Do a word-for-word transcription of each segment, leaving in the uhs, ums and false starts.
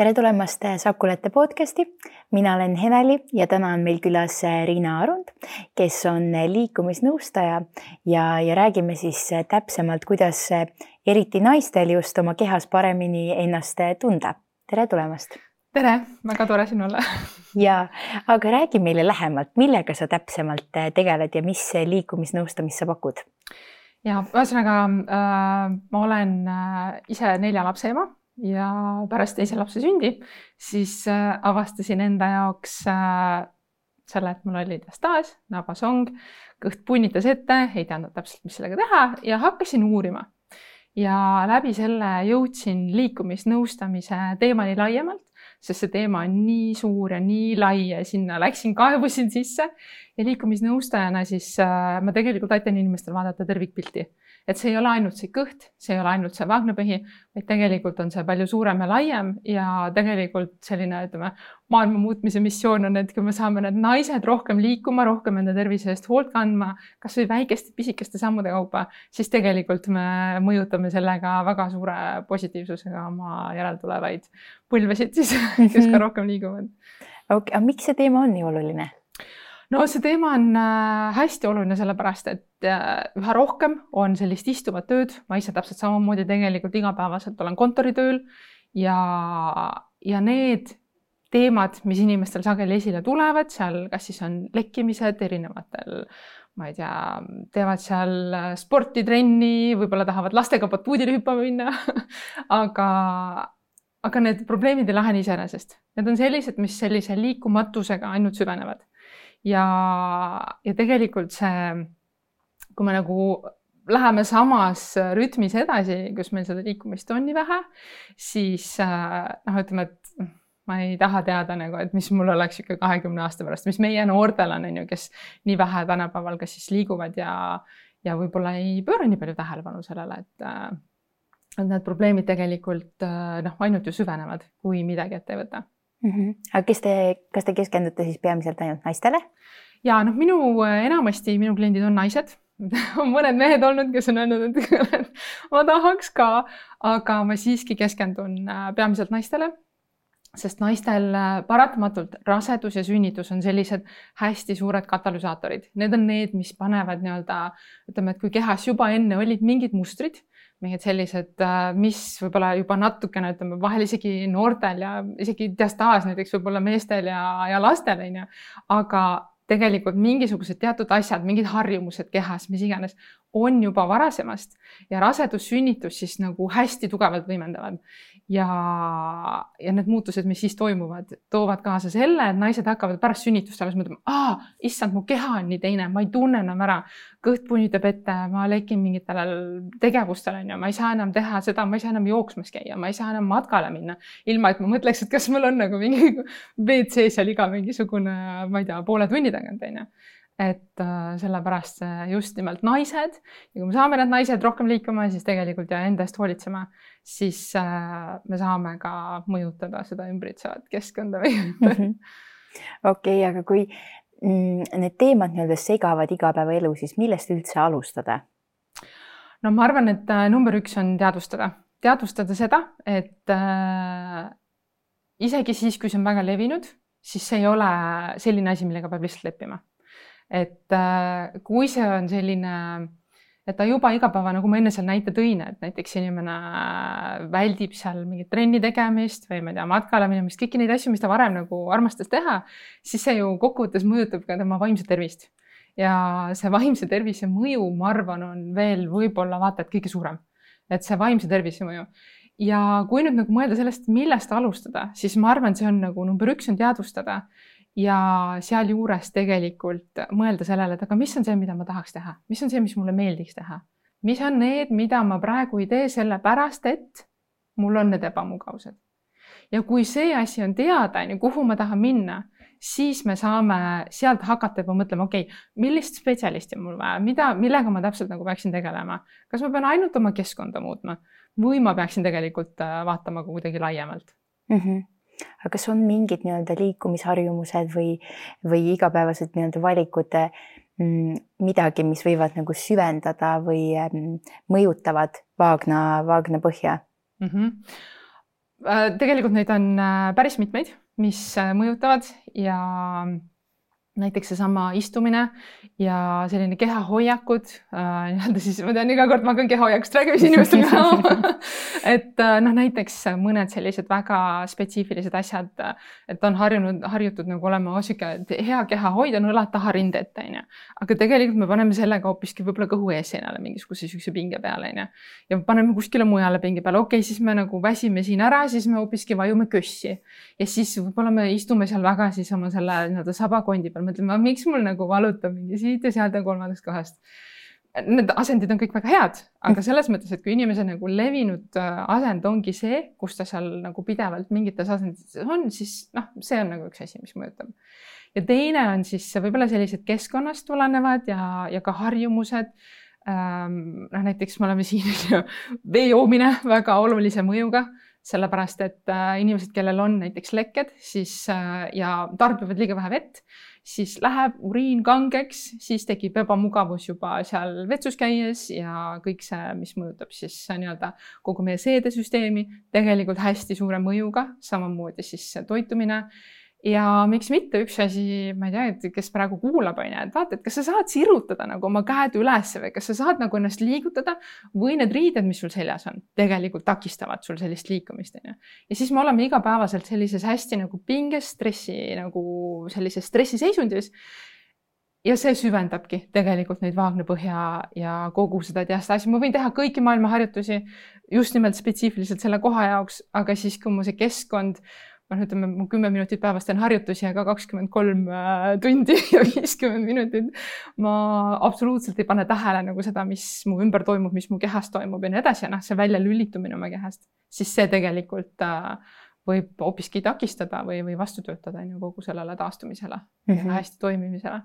Tere tulemast Sakulete podcasti. Mina olen Heneli ja täna on meil külas Riina Arund, kes on liikumisnõustaja ja, ja räägime siis täpsemalt, kuidas eriti naistel just oma kehas paremini ennast tunda. Tere tulemast! Tere, väga tore siin olla. Ja, aga räägi meile lähemalt, millega sa täpsemalt tegeled ja mis liikumisnõustamist sa pakud? Ja ühesõnaga äh, ma olen äh, ise nelja lapse ema. Ja pärast teise lapse sündi, siis äh, avastasin enda jaoks äh, selle, et mul oli diastaas, nabasong, kõht punnitas ette, ei teadnud täpselt, mis sellega teha ja hakkasin uurima. Ja läbi selle jõudsin liikumisnõustamise teemani laiemalt, sest see teema on nii suur ja nii lai ja sinna läksin, kaevusin sisse ja liikumisnõustajana siis äh, ma tegelikult aitan inimestel vaadata tervikpilti. Et see ei ole ainult see kõht, see ei ole ainult see vaagnapõhi, vaid tegelikult on see palju suurem ja laiem ja tegelikult selline, ütleme, maailma muutmise missioon on, et kui me saame need naised rohkem liikuma, rohkem enda tervise eest hoolt kandma, kas või väikeste pisikeste sammude kaupa, siis tegelikult me mõjutame sellega väga suure positiivsusega oma järeltulevaid põlvesid, siis, kes ka rohkem liiguvad. Okay, aga miks see teema on nii oluline? No see teema on hästi oluline sellepärast, et üha rohkem on sellist istuvat tööd. Ma ise täpselt samamoodi tegelikult igapäevaselt olen kontoritööl ja, ja need teemad, mis inimestel sageli esile tulevad, seal kas siis on lekkimised erinevatel, ma ei tea, teevad seal sporti, trenni, võib-olla tahavad lastega batuudile hüppama minna, aga, aga need probleemid ei lahene iseenesest. Need on sellised, mis sellise liikumatusega ainult süvenevad. Ja, ja tegelikult see, kui me nagu läheme samas rütmis edasi, kus meil seda liikumist on nii vähe, siis noh, ütleme, et ma ei taha teada, nagu, et mis mul oleks ikka kahekümne aasta pärast, mis meie noortel on, kes nii vähe tänapäeval kas siis liiguvad ja, ja võib-olla ei pööra nii palju tähelepanu sellele, et, et need probleemid tegelikult noh, ainult ju süvenevad, kui midagi ette ei võta. Mm-hmm. Aga kes te, kas te keskendute siis peamiselt ainult naistele? Ja noh, minu enamasti minu kliendid on naised. On mõned mehed olnud, kes on öelnud, et ma tahaks ka, aga ma siiski keskendun peamiselt naistele, sest naistel paratamatult rasedus ja sünnitus on sellised hästi suured katalüsaatorid. Need on need, mis panevad nii-öelda, ütleme, et kui kehas juba enne olid mingid mustrid, mingid sellised, mis võib-olla juba natukene, ütleme, vahel isegi noortel ja isegi diastaas näiteks võib-olla meestel ja, ja lastel, aga tegelikult mingisugused teatud asjad, mingid harjumused kehas, mis iganes, on juba varasemast ja rasedus, sünnitus siis nagu hästi tugevalt võimendavad. Ja, ja need muutused, mis siis toimuvad, toovad kaasa selle, et naised hakkavad pärast sünnitust alles mõtlema, aa, issand, mu keha on nii teine, ma ei tunne enam ära, kõht punnitab ette, ma lekin mingitele tegevustele, ma ei saa enam teha seda, ma ei saa enam jooksmas käia, ma ei saa enam matkale minna, ilma et ma mõtleks, et kas mul on nagu mingi V C seal iga mingisugune, ma ei tea, poole tunni tagant, teine. Et äh, sellepärast just nimelt naised ja kui me saame need naised rohkem liikuma, siis tegelikult ja enda eest hoolitsema, siis äh, me saame ka mõjutada seda ümbritsevat keskkonda. Mm-hmm. Okei, okay, aga kui mm, need teemad nii-öelda segavad igapäevaelu, siis millest üldse alustada? No ma arvan, et äh, number üks on teadvustada. Teadvustada seda, et äh, isegi siis, kui see on väga levinud, siis see ei ole selline asi, millega peab lihtsalt leppima. Et äh, kui see on selline, et ta juba igapäeva, nagu ma enne seal näite tõin, et näiteks inimene väldib seal mingit trenni tegemist või ma ei tea, matkale minemist, kõiki neid asju, mis ta varem nagu armastas teha, siis see ju kokkuvõttes mõjutab ka tema vaimse tervist. Ja see vaimse tervise mõju, ma arvan, on veel võib-olla vaata, et kõige suurem. Et see vaimse tervise mõju. Ja kui nüüd nagu mõelda sellest, millest alustada, siis ma arvan, see on nagu number üks on teadvustada. Ja seal juures tegelikult mõelda sellele, et aga mis on see, mida ma tahaks teha? Mis on see, mis mulle meeldiks teha? Mis on need, mida ma praegu ei tee selle pärast, et mul on need ebamugavused? Ja kui see asi on teada, kuhu ma tahan minna, siis me saame sealt hakata juba mõtlema, okei, okay, millist spetsialisti mul vaja, mida, millega ma täpselt nagu peaksin tegelema? Kas ma pean ainult oma keskkonda muutma või ma peaksin tegelikult vaatama kuidagi laiemalt? Mm-hmm. Aga kas on mingid nii-öelda liikumisharjumused või, või igapäevased nii-öelda valikud mm, midagi, mis võivad nagu süvendada või mm, mõjutavad vaagna, vaagna põhja? Mm-hmm. tegelikult neid on päris mitmeid, mis mõjutavad ja näiteks seesama istumine ja selline kehahoiakud, äh, nii-öelda siis ma tean, iga kord ma hakkan kehahoiakust räägima inimestega. et noh, näiteks mõned sellised väga spetsiifilised asjad, et on harjunud, harjutud nagu olema osike, hea kehahoid on õlad taha rinde ette, on ju. Aga tegelikult me paneme sellega hoopiski võib-olla kõhu eesseinale mingisuguse sükse pinge peale, on ju. Ja paneme kuskile mujale pinge peale. Okei, siis me nagu väsime siin ära, siis me hoopiski vajume kössi. Ja siis võib-olla me istume seal väga siis oma selle nii-öelda sabakondi peal. Mõtleme, miks mul nagu valutab mingi siit ja sealt ja kolmandast kohast. Need asendid on kõik väga head, aga selles mõttes, et kui inimese nagu levinud asend ongi see, kus ta seal nagu pidevalt mingites asendites on, siis noh, see on nagu üks asi, mis mõjutab. Ja teine on siis võib-olla sellised keskkonnast tulenevad ja, ja ka harjumused. Ähm, noh, näiteks me oleme siin vee joomine väga olulise mõjuga. Sellepärast, et inimesed, kellel on näiteks lekked siis, ja tarbivad liiga vähe vett, siis läheb uriin kangeks, siis tekib ebamugavus juba seal vetsus käies ja kõik see, mis mõjutab siis nii-öelda kogu meie seedesüsteemi, tegelikult hästi suure mõjuga, samamoodi siis toitumine. Ja miks mitte üks asi, ma ei tea, et kes praegu kuulab, on, et vaata, et kas sa saad sirutada nagu oma käed üles või kas sa saad nagu ennast liigutada või need riided, mis sul seljas on, tegelikult takistavad sul sellist liikumist. Ja siis me oleme igapäevaselt sellises hästi nagu pinges, stressi, nagu sellises stressiseisundis. Ja see süvendabki tegelikult neid vaagnapõhja ja kogu seda diastasi. Ma võin teha kõiki maailma harjutusi just nimelt spetsiifiliselt selle koha jaoks, aga siis kui mu see keskkond ma ütleme, mu kümme minutit päevast on harjutusi, aga kakskümmend kolm tundi ja viiskümmend minutit. Ma absoluutselt ei pane tähele nagu seda, mis mu ümber toimub, mis mu kehas toimub ja nii edasi. Ja noh, see välja lülitumine oma kehast, siis see tegelikult võib hoopiski takistada või, või vastu töötada kogu sellele taastumisele mm -hmm. ja hästi toimimisele.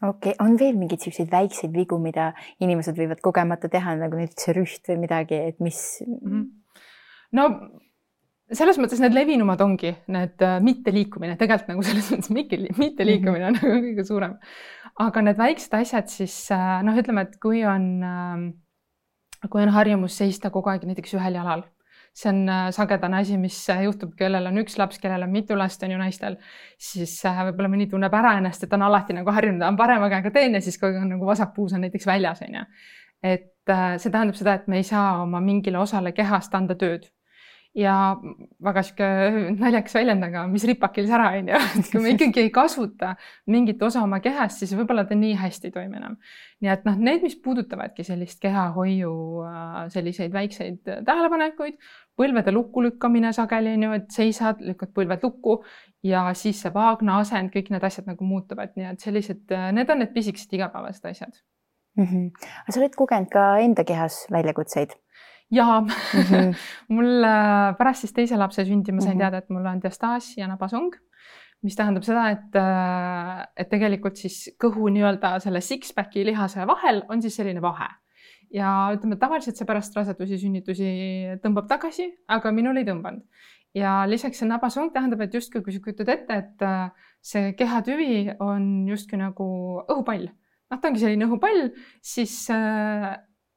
Okei, okay. On veel mingid sellised väikseid vigu, mida inimesed võivad kogemata teha, nagu näiteks rüht või midagi, et mis... Mm -hmm. No... Selles mõttes need levinumad ongi need mitte liikumine, tegelikult nagu selles mõttes mitte liikumine on mm -hmm. kõige suurem. Aga need väiksed asjad siis, noh, ütleme, et kui on, kui on harjumus seista kogu aeg näiteks ühel jalal, see on sagedane asi, mis juhtub, kellel on üks laps, kellel on mitu last, on ju naistel, siis võib-olla mõni tunneb ära ennast, et on alati nagu harjunud, on parema käega teen ja siis kui on nagu vasakpuus on näiteks väljas, on ju. Et see tähendab seda, et me ei saa oma mingile osale kehast anda tööd. Ja väga siuke naljakas väljendaga, mis ripakil sära on ja kui me ikkagi ei kasuta mingit osa oma kehast, siis võib-olla ta nii hästi ei toimi enam. Nii et noh, need, mis puudutavadki sellist kehahoiu selliseid väikseid tähelepanekuid, põlvede lukku lükkamine sageli, et seisad, lükkad põlved lukku ja siis see vaagna asend, kõik need asjad nagu muutuvad. Nii et sellised, need on need pisikesed igapäevased asjad. Mm-hmm. Aga sa oled kogenud ka enda kehas väljakutseid? Jaa, mm-hmm. mul pärast siis teise lapse sündi ma sain mm-hmm. teada, et mul on diastaas ja nabasong, mis tähendab seda, et, et tegelikult siis kõhu nii-öelda selle six-packi lihase vahel on siis selline vahe. Ja ütleme, tavaliselt see pärast rasedusi, sünnitusi tõmbab tagasi, aga minul ei tõmbanud. Ja lisaks see nabasong tähendab, et justkui kui sa kujutad ette, et see kehatüvi on justkui nagu õhupall. Noh, ta ongi selline õhupall, siis...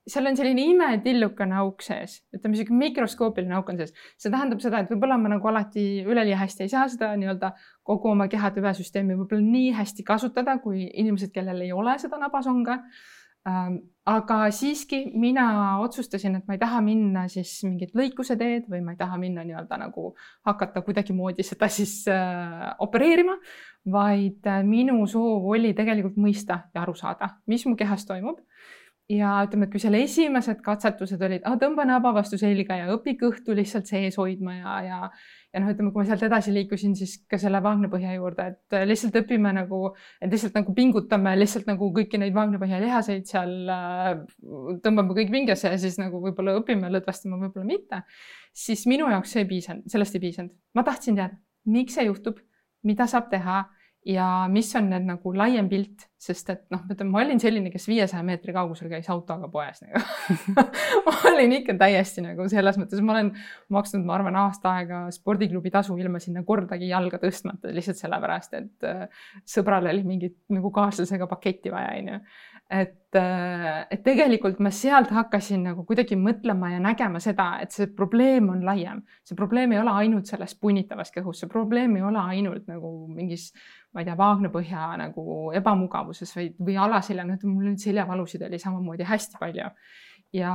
seal on selline imetillukane auk sees, ütleme selline mikroskoopiline auk on sees. See tähendab seda, et võib-olla ma nagu alati üleli hästi ei saa seda nii-öelda kogu oma kehatüvesüsteemi võib-olla nii hästi kasutada, kui inimesed, kellel ei ole seda nabasonga. Aga siiski mina otsustasin, et ma ei taha minna siis mingit lõikuse teed või ma ei taha minna nii-öelda nagu hakata kuidagi moodi seda siis opereerima, vaid minu soov oli tegelikult mõista ja aru saada, mis mu kehas toimub. Ja ütleme, et kui selle esimesed katsetused olid, ah, tõmba naba vastu selga ja õpi kõhtu lihtsalt sees hoidma ja, ja, ja noh, ütleme, kui ma sealt edasi liikusin, siis ka selle vaagnapõhja juurde, et lihtsalt õpime nagu, et lihtsalt nagu pingutame lihtsalt nagu kõiki neid vaagnapõhja lihaseid seal, tõmbame kõik pingesse ja siis nagu võib-olla õpime lõdvastama, võib-olla mitte, siis minu jaoks see ei piisanud, sellest ei piisanud. Ma tahtsin teada, miks see juhtub, mida saab teha ja mis on need nagu laiem pilt sest et noh, ma olin selline, kes viiesaja meetri kaugusel käis autoga poes nagu. ma olin ikka täiesti nagu selles mõttes, ma olen maksnud, ma arvan, aasta aega spordiklubi tasu ilma sinna kordagi jalga tõstmata, lihtsalt sellepärast, et sõbral oli mingit nagu kaaslasega paketti vaja, onju. Et, et tegelikult ma sealt hakkasin nagu kuidagi mõtlema ja nägema seda, et see probleem on laiem. See probleem ei ole ainult selles punnitavas kõhus, see probleem ei ole ainult nagu mingis, ma ei tea, vaagnapõhja nagu ebamugavuses või, või alaselja, noh, mul nüüd seljavalusid oli samamoodi hästi palju. Ja,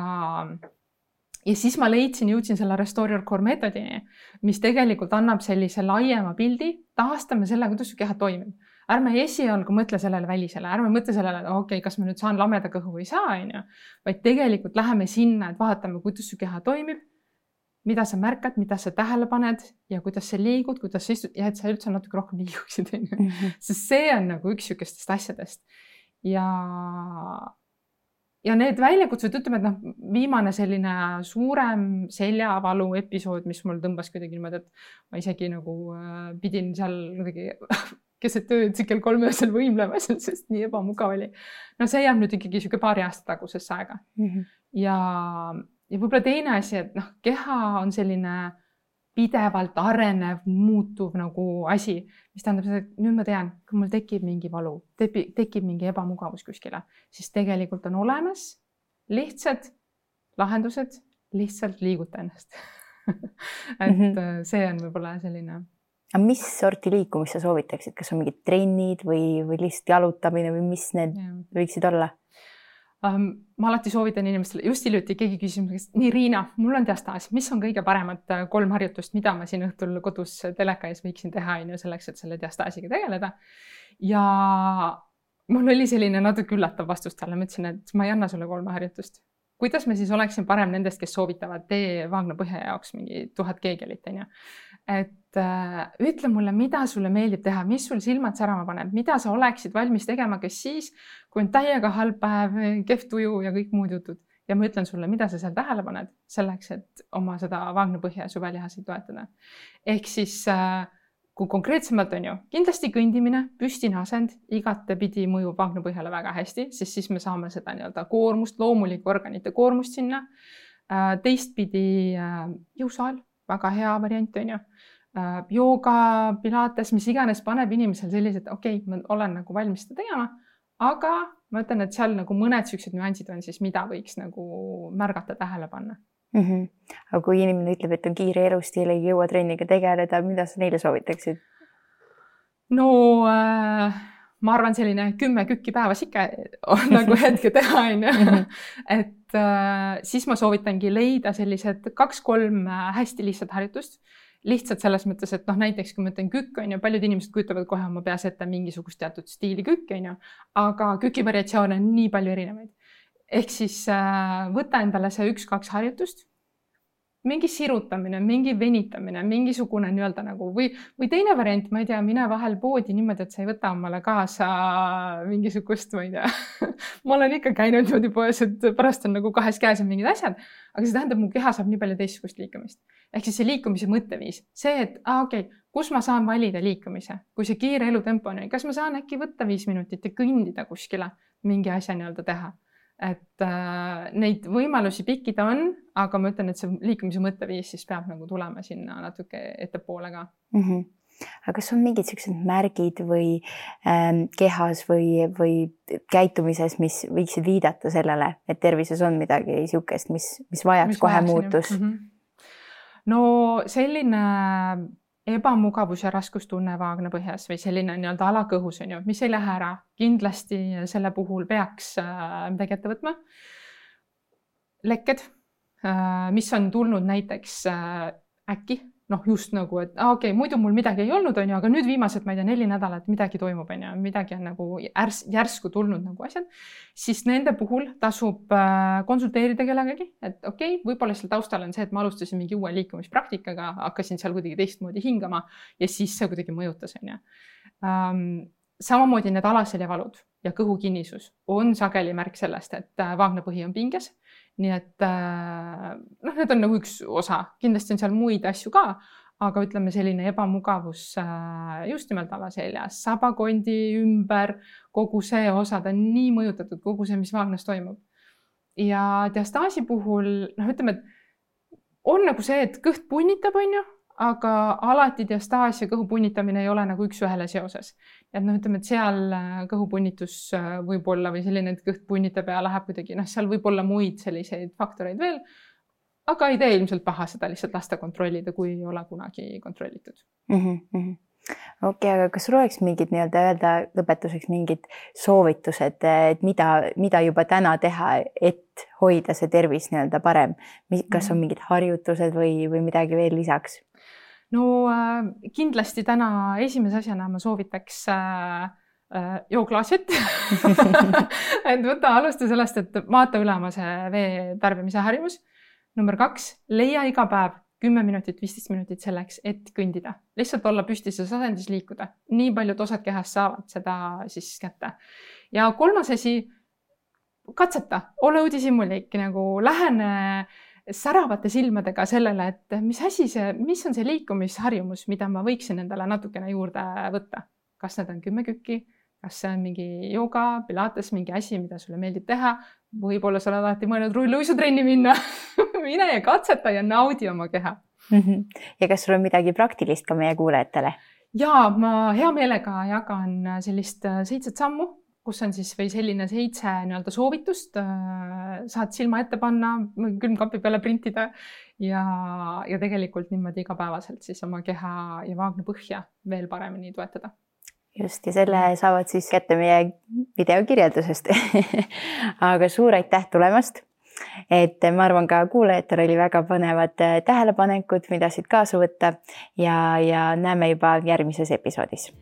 ja siis ma leidsin, jõudsin selle Restore Your Core meetodini, mis tegelikult annab sellise laiema pildi, taastame selle, kuidas su keha toimib. Ärme esialgu mõtle sellele välisele, ärme mõtle sellele, et okei, okay, kas ma nüüd saan lameda kõhu või saa, onju, vaid tegelikult läheme sinna, et vaatame, kuidas su keha toimib, mida sa märkad, mida sa tähele paned ja kuidas sa liigud, kuidas sa istud ja et sa üldse natuke rohkem liiguksid, onju. Mm-hmm. Sest see on nagu üks sükestest asjadest. Ja, ja need väljakutsed, ütleme, et noh, viimane selline suurem seljavalu episood, mis mul tõmbas kuidagi niimoodi, et ma isegi nagu pidin seal kuidagi keset tööd kell kolm öösel võimlema, sest nii ebamugav oli. No see jääb nüüd ikkagi siuke paari aasta tagusesse aega. Mm-hmm. Ja, ja võib-olla teine asi, et noh, keha on selline pidevalt arenev, muutuv nagu asi, mis tähendab seda, et nüüd ma tean, kui mul tekib mingi valu, tekib mingi ebamugavus kuskile, siis tegelikult on olemas lihtsad lahendused, lihtsalt liiguta ennast. et mm-hmm. see on võib-olla selline... Aga mis sorti liikumist sa soovitaksid? Kas on mingid trennid või, või lihtsalt jalutamine või mis need ja. Võiksid olla? Um, ma alati soovitan inimestele, just hiljuti keegi küsimus, nii Riina, mul on diastaas, mis on kõige paremad kolm harjutust, mida ma siin õhtul kodus teleka ees võiksin teha ja selleks, et selle diastaasiga tegeleda. Ja mul oli selline natuke üllatav vastus talle, ma ütlesin, et ma ei anna sulle kolme harjutust. Kuidas me siis oleksin parem nendest, kes soovitavad tee vaagnapõhja jaoks mingi tuhat keegelit, onju. Et äh, ütle mulle, mida sulle meeldib teha, mis sul silmad särama paneb, mida sa oleksid valmis tegema, kes siis, kui on täiega halb päev, kehv tuju ja kõik muud jutud. Ja ma ütlen sulle, mida sa seal tähele paned selleks, et oma seda vaagnapõhja ja suvelihaseid toetada. Ehk siis äh, kui konkreetsemalt on ju, kindlasti kõndimine, püstine asend, igatepidi mõjub vaagnapõhjale väga hästi, sest siis me saame seda nii-öelda koormust, loomulikku organite koormust sinna. Äh, teistpidi äh, jõusaal, väga hea variant on ju. Jooga, pilates, mis iganes paneb inimesel sellised, okei, okay, ma olen nagu valmis seda tegema, aga ma ütlen, et seal nagu mõned süksed nüansid on siis, mida võiks nagu märgata, tähele panna. Mm-hmm. Aga kui inimene ütleb, et on kiire elustiil, ei jõua trenniga tegeleda, mida sa neile soovitaksid? No äh, ma arvan, selline kümme kükki päevas ikka on nagu hetke teha, on ju. Et äh, siis ma soovitangi leida sellised kaks-kolm hästi lihtsat harjutust. Lihtsalt selles mõttes, et noh, näiteks kui ma ütlen kükk, on ju, paljud inimesed kujutavad kohe oma peas ette mingisugust teatud stiili kükk, on ju, aga küki variatsioone on nii palju erinevaid. Ehk siis äh, võta endale see üks-kaks harjutust, mingi sirutamine, mingi venitamine, mingisugune nii-öelda nagu või, või teine variant, ma ei tea, mine vahel poodi niimoodi, et sa ei võta omale kaasa mingisugust, ma ei tea. ma olen ikka käinud niimoodi poes, et pärast on nagu kahes käes on mingid asjad, aga see tähendab, mu keha saab nii palju teistsugust liikumist. Ehk siis see liikumise mõtteviis, see, et ah, okei, okay, kus ma saan valida liikumise, kui see kiire elutempo on, kas ma saan äkki võtta viis minutit ja kõndida kuskile mingi asja nii-öelda teha. Et äh, neid võimalusi pikkida on, aga ma ütlen, et see liikumise mõtteviis siis peab nagu tulema sinna natuke ettepoole ka. Mm-hmm. Aga kas on mingid sellised märgid või ähm, kehas või, või käitumises, mis võiksid viidata sellele, et tervises on midagi niisugust, mis, mis vajaks mis kohe muutus? Mm-hmm. No selline ebamugavus ja raskustunne vaagnapõhjas või selline nii-öelda alakõhus on ju, mis ei lähe ära. Kindlasti selle puhul peaks midagi ette võtma. Lekked, mis on tulnud näiteks äkki, noh just nagu, et ah, okei, okay, muidu mul midagi ei olnud, on ju, aga nüüd viimased, ma ei tea, neli nädalat midagi toimub, on ju, midagi on nagu ärs, järsku tulnud nagu asjad, siis nende puhul tasub konsulteerida kellegagi, et okei, okay, võib-olla seal taustal on see, et ma alustasin mingi uue liikumispraktikaga, hakkasin seal kuidagi teistmoodi hingama ja siis see kuidagi mõjutas, on ju. Um, samamoodi need alaseljavalud ja kõhukinnisus on sageli märk sellest, et vaagnapõhi on pinges. Nii et noh, need on nagu üks osa. Kindlasti on seal muid asju ka, aga ütleme selline ebamugavus just nimelt alaseljas, sabakondi ümber, kogu see osa, ta on nii mõjutatud, kogu see, mis vaagnas toimub. Ja diastaasi puhul, noh, ütleme, et on nagu see, et kõht punnitab, on ju, aga alati diastaas ja kõhu punnitamine ei ole nagu üks ühele seoses. Et noh, ütleme, et seal kõhu punnitus võib olla või selline, et kõht punnitab ja läheb kuidagi, noh, seal võib olla muid selliseid faktoreid veel, aga ei tee ilmselt paha seda lihtsalt lasta kontrollida, kui ei ole kunagi kontrollitud. Mm -hmm. Okei, aga kas sul oleks mingid nii-öelda öelda lõpetuseks mingid soovitused, et mida, mida juba täna teha, et hoida see tervis nii-öelda parem? Kas on mingid harjutused või, või midagi veel lisaks? No kindlasti täna esimese asjana ma soovitaks äh, äh, joo klaasjet. et võta alusta sellest, et vaata üle oma see vee tarbimise harjumus. Number kaks, leia iga päev kümme minutit, viisteist minutit selleks, et kõndida. Lihtsalt olla püstises asendis liikuda. Nii paljud osad kehast saavad seda siis kätte. Ja kolmas asi, katseta, ole uudishimulik, nagu lähene säravate silmadega sellele, et mis asi see, mis on see liikumisharjumus, mida ma võiksin endale natukene juurde võtta. Kas need on kümme kükki, kas see on mingi jooga, pilates, mingi asi, mida sulle meeldib teha. Võib-olla sa oled alati mõelnud rulluisutrenni minna. Mine ja katseta ja naudi oma keha. Ja kas sul on midagi praktilist ka meie kuulajatele? Jaa, ma hea meelega jagan sellist seitset sammu, kus on siis või selline seitse nii-öelda soovitust. Saad silma ette panna, külmkapi peale printida ja, ja tegelikult niimoodi igapäevaselt siis oma keha ja vaagna põhja veel paremini toetada. Just, ja selle saavad siis kätte meie videokirjeldusest. Aga suur aitäh tulemast. Et ma arvan ka kuulajatel oli väga põnevad tähelepanekud, mida siit kaasa võtta ja, ja näeme juba järgmises episoodis.